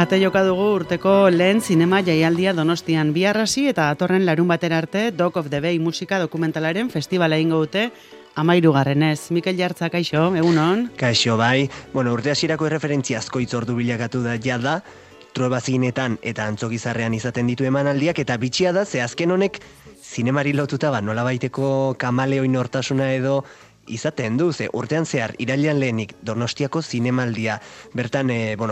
Ate joka dugu urteko lehen zinema jaialdia Donostian bihar hasi eta datorren larun batera arte Dog of the Bay musika dokumentalaren festivala egingo dute 13. Mikel Jartza, kaixo, egunon? Kaixo, bai. Urte hasierako erreferentzia asko itzordu bilakatu da jada, Truebazinetan eta Antzokizarrean izaten ditu emanaldiak, eta bitxia da, ze azken honek zinemari lotuta nolabaiteko kamaleoi nortasuna edo izaten du, ze urtean zehar, irailean lehenik Donostiako zinemaldia. Bertan,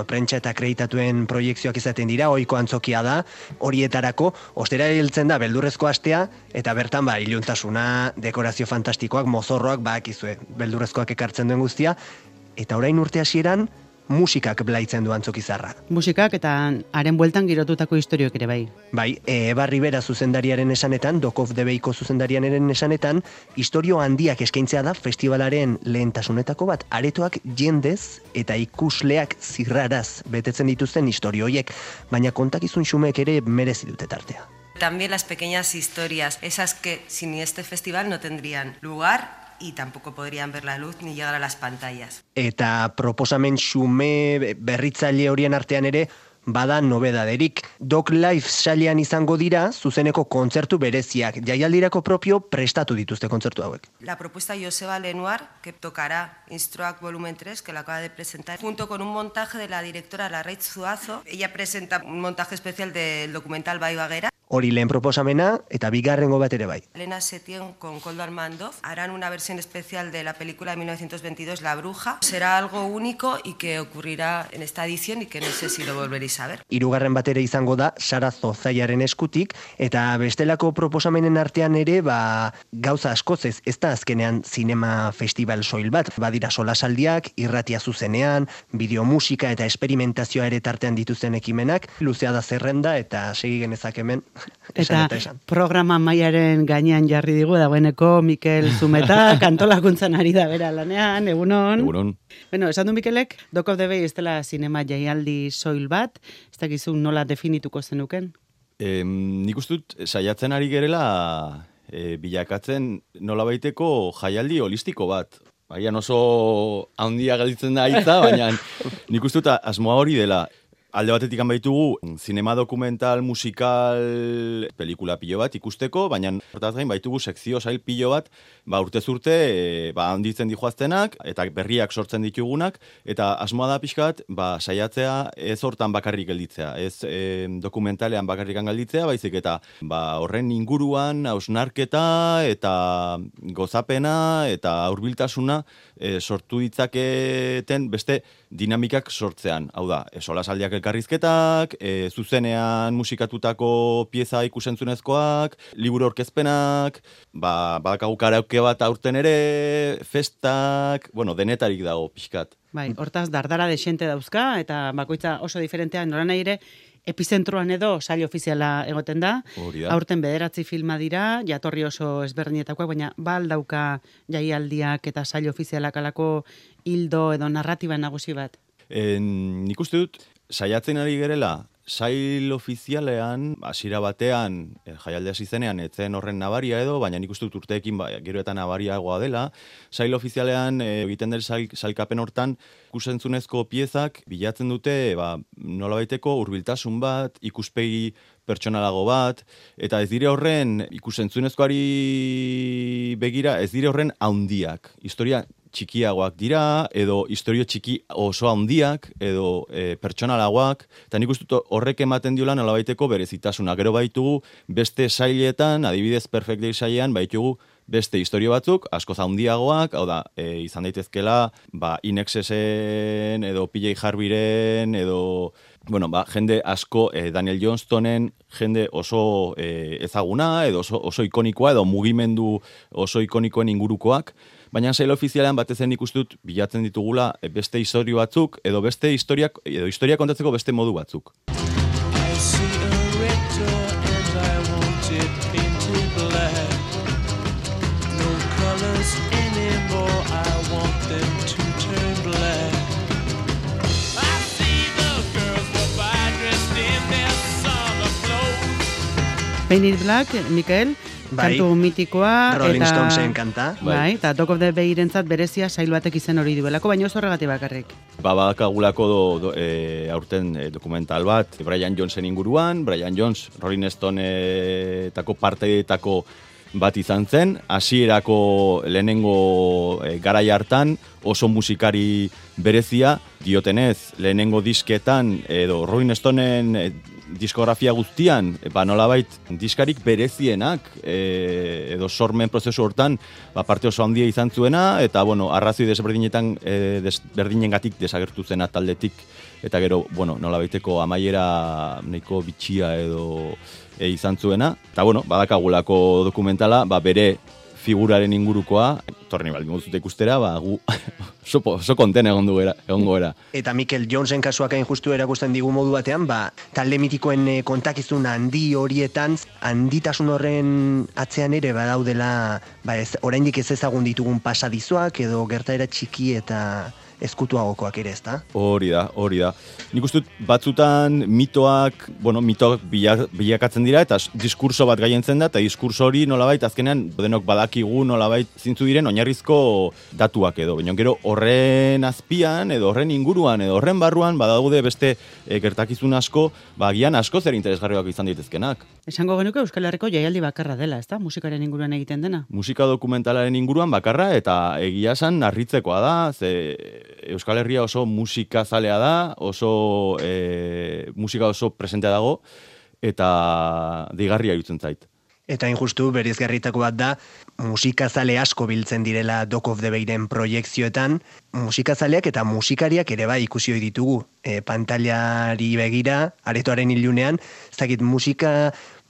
prentsa eta akreditatuen proiekzioak izaten dira, ohiko antzokia da, horietarako, ostera hiltzen da beldurrezko astea, eta bertan, iluntasuna, dekorazio fantastikoak, mozorroak, akizue, beldurrezkoak ekartzen duen guztia, eta orain urte hasieran, musikak blaitzen du Antzokizarra. Musikak eta haren bueltan girotutako istorioek ere bai. Bai, Eba Rivera zuzendariaren esanetan, Dog of the Bayko zuzendariaren esanetan, istorio handiak eskaintzea da festivalaren lehentasunetako bat, aretoak jendez eta ikusleak zirraraz betetzen dituzten istorioiek, baina kontakizun xumeek ere merezi dute tartea. También las pequeñas historias, esas que sin este festival no tendrían lugar y tampoco podrían ver la luz ni llegar a las pantallas. Eta proposamen xume berritzaile horien artean ere bada nobedaderik. Dog Live sailean izango dira zuzeneko kontzertu bereziak. Jaialdirako propio prestatu dituzte kontzertu hauek. La propuesta Joseba Lenoir, que tocará Instruac Volumen 3, que la acaba de presentar, junto con un montaje de la directora Larraitz Zuazo. Ella presenta un montaje especial del documental Bai Baguera. Hori lehen proposamena eta bigarrengo bat ere bai. Elena Setien con Koldo Armandov harán una versión especial de la película de 1922, La Bruja. Será algo único y que ocurrirá en esta edición y que no sé si lo volveréis a ver. Hirugarren bat ere izango da Sara Zozaiaren eskutik, eta bestelako proposamenen artean ere gauza askoz ez da azkenean zinema festival soil bat. Badira solasaldiak, irratia zuzenean, bideomusika eta esperimentazioa ere tartean dituzten ekimenak, luzea da zerrenda eta segi genezak hemen. Eta programa mailaren gainean jarri digu dagoeneko Mikel Zumeta, kantolakuntzan ari da bera lanean, egunon. Egunon. Esan du Mikelek, Dog of the Bay ez dela zinema jaialdi soil bat, ez dakizun nola definituko zenuken? Nik uste dut, saiatzen ari gerela bilakatzen nolabaiteko jaialdi holistiko bat. Baian oso handia gelditzen da hitza, baina nik uste dut asmoa hori dela. Alde batetik baitugu zinema dokumental, musikal, pelikula pilo bat ikusteko, baina hortaz gain baitugu sekzio sail pilo bat, urtez urte handitzen dijoaztenak, eta berriak sortzen ditugunak, eta asmoa da pixka bat, saiatzea ez hortan bakarrik gelditzea, ez dokumentalean bakarrik gelditzea, baizik eta horren inguruan hausnarketa eta gozapena eta hurbiltasuna sortu ditzaketen beste dinamikak sortzean. Hau da, solasaldiak elkarrizketak, zuzenean musikatutako pieza ikusentzunezkoak, liburu aurkezpenak, badakagu karaoke bat aurten ere, festak, denetarik dago pixkat. Bai, hortaz dardara desente dauzka, eta bakoitza oso diferentea, nola nahi ere, epizentroan edo sail ofiziala egoten da. Aurten 9 filma dira, jatorri oso ezberdinetakoak, baina aldauka jaialdiak eta sail ofizialak alako hildo edo narratiba nagusi bat. Nik uste dut, saiatzen ari gerela, sail ofizialean, hasiera batean, jaialdia izenean, etzen horren nabaria edo, baina nik uste dut urteekin gero eta nabariagoa dela. Sail ofizialean, egiten den sailkapen hortan, ikusentzunezko piezak bilatzen dute nolabaiteko hurbiltasun bat, ikuspegi pertsonalago bat, eta ez dire horren ikusentzunezkoari begira, ez dire horren handiak. Historia txikiagoak dira, edo historio txiki oso handiak, edo pertsonalagoak, eta nik uste horrek ematen diola nolabaiteko berezitasuna. Gero baitugu beste sailetan, adibidez Perfect Day sailean, baitugu beste historio batzuk, askoz handiagoak, hau da, izan daitezkela, Inexesen, edo PJ Harveyren, edo jende asko, Daniel Johnstonen, jende oso ezaguna, edo oso ikonikoa, edo mugimendu oso ikonikoen ingurukoak, baina sail ofizialean batez nik uste dut bilatzen ditugula beste historio batzuk, edo beste historia kontatzeko beste modu batzuk. Paint It Black, Mikel, kantu mitikoa. Rolling Stonesen kanta. Bai, eta Dock of the Bay-rentzat berezia sail batek izen hori duelako, baina oso horregatik bakarrik. Badakagulako aurten dokumental bat, Brian Jonesen inguruan, Brian Jones, Rolling Stone-etako parteetako bat izan zen, hasierako lehenengo garai hartan oso musikari berezia, diotenez lehenengo disketan edo Rolling Stoneen diskografia guztian, nolabait diskarik berezienak edo sormen prozesu hortan parte oso handia izan zuena, eta arrazoi desberdinengatik desagertu zena taldetik, eta gero, nolabaiteko amaiera nahiko bitxia edo izan zuena. Eta badakagulako dokumentala, bere figuraren ingurukoa, torni baldin moduzute ikustera, gu oso konten egongo era. Eta Mikel Jonesen kasuak hain justu erakusten digu modu batean, talde mitikoen kontakizun handi horietan, handitasun horren atzean ere badaudela, oraindik ez ezagun ditugun pasadizoak edo gertaera txiki eta ezkutuagokoak ere, ezta? Hori da. Nik uste dut batzutan mitoak bilakatzen dira eta diskurso bat gaientzen da, eta diskurso hori nolabait azkenean denok badakigu nolabait zintzu diren oinarrizko datuak edo. Baina gero horren azpian edo horren inguruan edo horren barruan badaude beste gertakizun asko, agian asko zer interesgarriak izan daitezkenak. Esango genuke Euskal Herriko jaialdi bakarra dela, ezta? Musikaren inguruan egiten dena. Musika dokumentalaren inguruan bakarra, eta egia esan harritzekoa da, ze Euskal Herria oso musika zalea da, oso musika oso presentea dago, eta deigarria irutzen zait. Eta injustu berizgarritako bat da, musikazale asko biltzen direla Dock of the Bayren proiekzioetan, musikazaleak eta musikariak ere bai ikusi ohi ditugu. Pantailari begira, aretoaren ilunean, ez dakit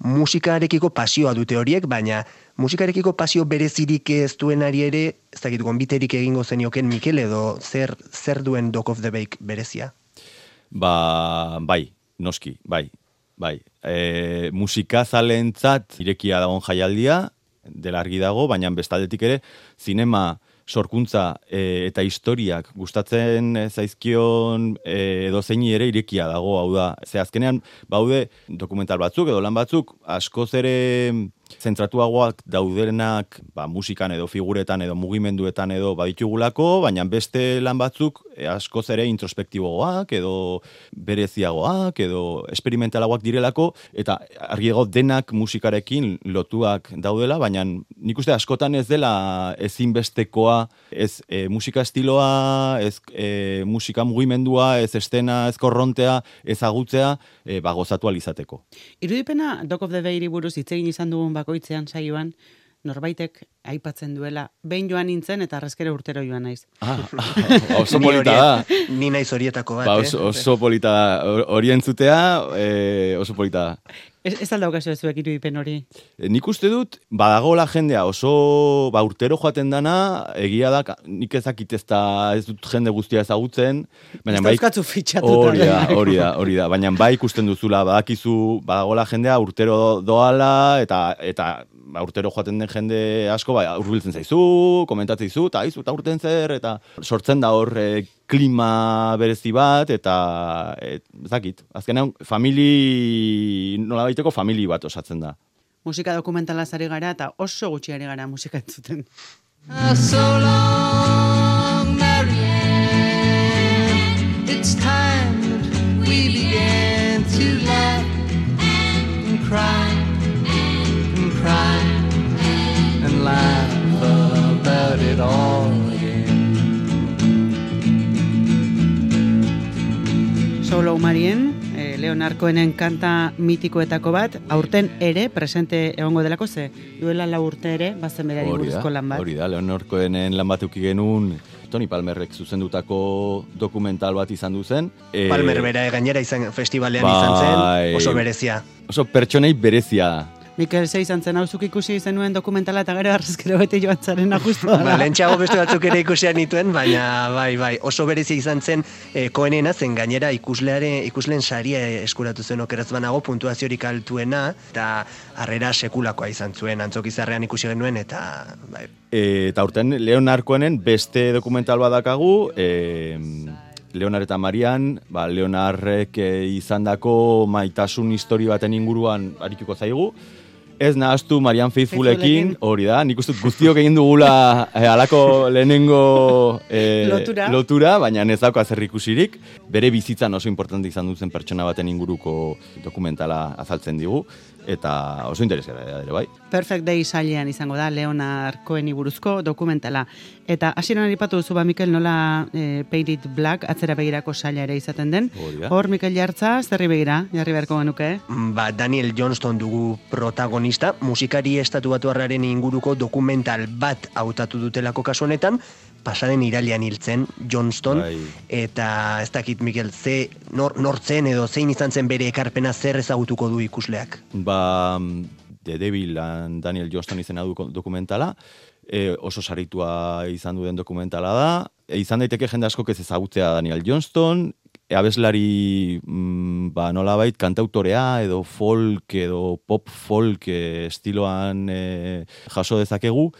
musikarekiko pasioa dute horiek, baina musikarekiko pasio berezirik ez duenari ere, ez dakit gonbiterik egingo zenioken Mikel edo zer duen Dock of the Bay berezia? Bai, noski, bai. Musikazaleentzat irekia dagoen jaialdia, dela argi dago, baina bestaldetik ere, zinema sorkuntza eta historiak gustatzen zaizkion edo zeini ere irekia dago, hau da. Ze azkenean, baude dokumental batzuk edo lan batzuk, askoz ere zentratuagoak daudenak musikan edo figuretan edo mugimenduetan edo baditugulako, baina beste lan batzuk askoz ere introspektiboagoak edo bereziagoak edo esperimentalagoak direlako, eta argiago denak musikarekin lotuak daudela, baina nik uste askotan ez dela ezinbestekoa, ez musika estiloa, ez musika mugimendua, ez estena, ez korrontea, ezagutzea, gozatu alizateko. Irudipena Dock of the Bayri buruz hitz egin izan dugun bakoitzean saioan, norbaitek aipatzen duela, behin joan nintzen eta arrezkere urtero joan naiz. Oso polita da. Ni naiz horietako bat. Oso polita da. Hori entzutea, oso polita da. Ez aldaukazu zuek irudipen hori? Nik uste dut, badagoela jendea oso urtero joaten dana, egia da, nik ezakit ez dut jende guztia ezagutzen. Ez da euskatzu fitxatuta. Hori da, baina bai ikusten duzula, badakizu, badagoela jendea urtero doala, eta urtero joaten den jende asko, hurbiltzen zaizu, komentatzen zaizu, eta urten zer, eta sortzen da hor klima berezi bat, eta ezakit, azkenean nolabaiteko famili bat osatzen da. Musika dokumentalaz ari gara, eta oso gutxi ari gara musika entzuten. So long, Marianne, it's time that we began to laugh and cry and cry and laugh about it all again. Solo Marien, Leonard Cohenen kanta mitikoetako bat, aurten ere presente egongo delako, ze duela 4 urte ere, bazen berari buruzko lan bat. Hori da, Leonard Cohenen lan bat euki genuen, Tony Palmerrek zuzendutako dokumental bat izan duzen. Palmer bera gainera festivalean izan zen, oso berezia. Oso pertsonei berezia. Mikel ze izan zen, hauzuk ikusi zenuen dokumentala eta gero arrezkero bete joan zaren ajustu da. Lentxago beste batzuk ere ikusian nituen, baina bai, oso berezia izan zen Cohenena, zen gainera ikusleen saria eskuratu zen okeraz banago, puntuaziorik altuena, eta harrera sekulakoa izan zuen, Antzokizarrean ikusi genuen, eta bai. Eta urten Leonard Cohenen beste dokumental badakagu, Leonard eta Marian, Leonardrek izandako maitasun histori baten inguruan arituko zaigu, Ez nahaztu Marian Faithfulekin, hori da, nik uste guztiok egin dugula halako lehenengo lotura, baina ez dauka zer ikusirik. Bere bizitzan oso importante izan duzen pertsona baten inguruko dokumentala azaltzen digu, eta oso interesgarria ere bai. Perfect Day sailean izango da Leonard Coheni buruzko dokumentala. Eta hasieran aipatu duzu Mikel nola Paint It Black atzera begirako saila ere izaten den. Hor Mikel Jartza, zerri begira, jarri beharko genuke? Daniel Johnston dugu protagonista, musikari estatubatuarraren inguruko dokumental bat hautatu dutelako kasu honetan, pasaren irailean hiltzen Johnston, eta ez dakit Mikel, nortzen edo zein izan zen bere ekarpena zer ezagutuko du ikusleak? The Devil and Daniel Johnston izena du dokumentala, oso saritua izan duen dokumentala da, izan daiteke jende askok ez ezagutzea Daniel Johnston, abeslari nolabait kantautorea edo folk edo pop folk estiloan jaso dezakegu,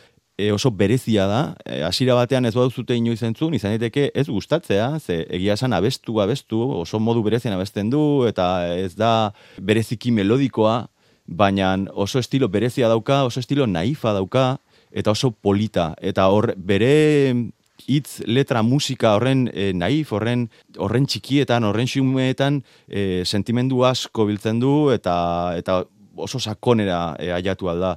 oso berezia da, hasiera batean ez baduzute inoiz entzun, izan daiteke ez gustatzea, ze egia esan abestu, oso modu berezian abesten du, eta ez da bereziki melodikoa, baina oso estilo berezia dauka, oso estilo naifa dauka, eta oso polita, eta bere hitz, letra, musika horren naif, horren txikietan, horren xumeetan sentimendu asko biltzen du, eta oso sakonera aiatu alda.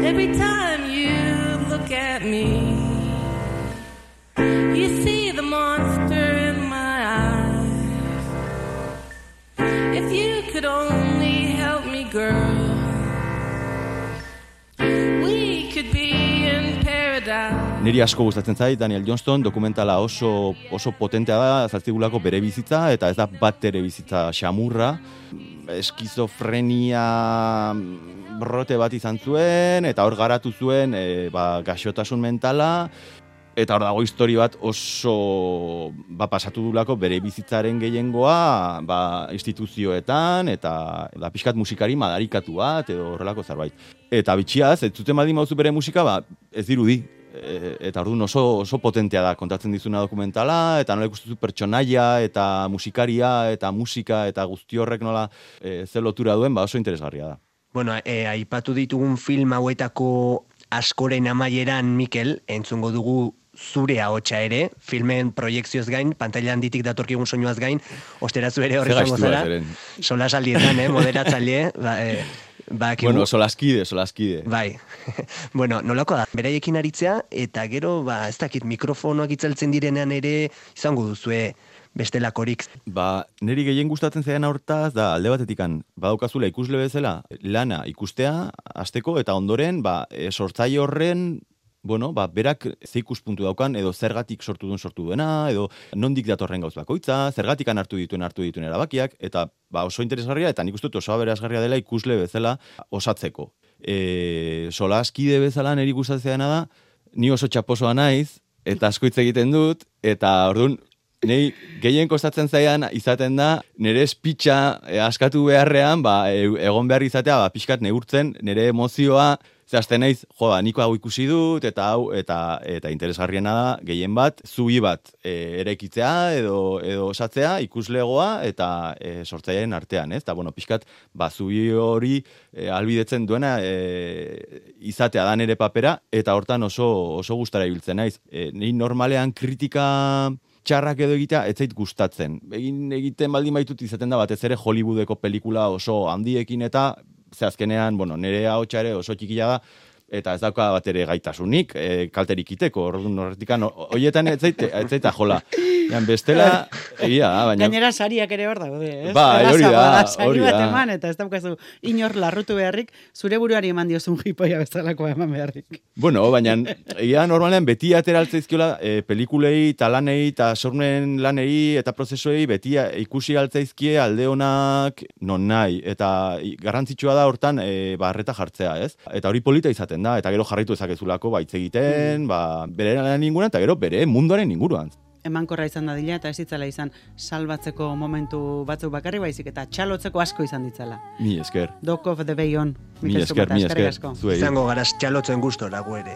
Every time you look at me, you see the monster in my eyes. If you could only help me, girl, we could be in paradise. Niri asko gustatzen zait Daniel Johnston, dokumentala oso potentea da, azaltzigulako bere bizitza, eta ez da bat ere bizitza xamurra, eskizofrenia brote bat izan zuen, eta hor garatu zuen gaixotasun mentala, eta hor dago histori bat oso pasatu dulako bere bizitzaren gehiengoa instituzioetan, eta pixkat musikari madarikatu bat, edo horrelako zerbait. Eta bitxiaz, ez zuten baldin mauzu bere musika, ez dirudi. Eta orduan oso potentea da kontatzen dizuna dokumentala, eta nola ikustuzu pertsonaia, eta musikaria, eta musika, eta guzti horrek nola zer lotura duen, oso interesgarria da. Bueno, aipatu ditugun film hauetako askoren amaieran, Mikel, entzungo dugu zure ahotsa ere, filmen proiekzioz gain, pantaila handitik datorkigun soinuaz gain, osterazu ere horri zango zara, solasaldietan, moderatzaile, bueno, solaskide. Bai. Bueno, nolako da, beraiekin aritzea, eta gero, ez dakit, mikrofonoak itzaltzen direnean ere, izango duzue bestelakorik. Niri gehien gustatzen zaidan hortaz, da alde batetikan, badaukazula ikusle bezala, lana ikustea, hasteko, eta ondoren, sortzaile horren, berak ze ikuspuntu daukan, edo zergatik sortu duena, edo nondik datorren gauz bakoitza, zergatikan hartu dituen erabakiak, eta oso interesgarria, eta nik uste dut oso aberasgarria dela ikusle bezala osatzeko. Solaskide bezala niri gustatzeana da, ni oso txaposoa naiz, eta asko hitz egiten dut, eta orduan, nei gehien kostatzen zaidan izaten da, nire espitxa askatu beharrean, egon behar izatea, pixkat neurtzen, nire emozioa, zehazten naiz, niko hau ikusi dut, eta interesgarriena da, gehien bat, zubi bat eraikitzea edo osatzea, ikuslegoa eta sortzaileen artean, ez? Eta, pixkat, zubi hori albidetzen duena izatea da nire papera, eta hortan oso gustara ibiltzen naiz. Ni normalean kritika txarrak edo egitea, ez zait gustatzen. Egiten baldin baitut izaten da batez ere Hollywoodeko pelikula oso handiekin eta ze azkenean, nire ahotsa ere oso txikia da, eta ez dauka bat ere gaitasunik, kalterik iteko, horretikan, horietan ez zaita jola. Bestela, egia da, baina... Gainera sariak ere hor daude, ez? Hori da. Sari bat eman, eta ez daukazu inor larrutu beharrik, zure buruari eman diozun jipoia bezalakoa eman beharrik. Baina, egia normalean beti ateraltzaizkiola pelikulei, talanei, eta sormen lanei, eta prozesuei, beti ikusi altzaizkie alde honak non nahi, eta garrantzitsua da hortan barreta jartzea, ez? Eta hori polita izaten da, eta gero jarraitu ezakezulako baitz egiten, bere lan inguruan, eta gero bere munduaren inguruan. Emankorra izan dadila, eta ez ditzala izan salbatzeko momentu batzuk bakarri baizik, eta txalotzeko asko izan ditzala. Mi esker. Dock of the Bay on. Mi esker. Izango garaz txalotzen gustora gu ere.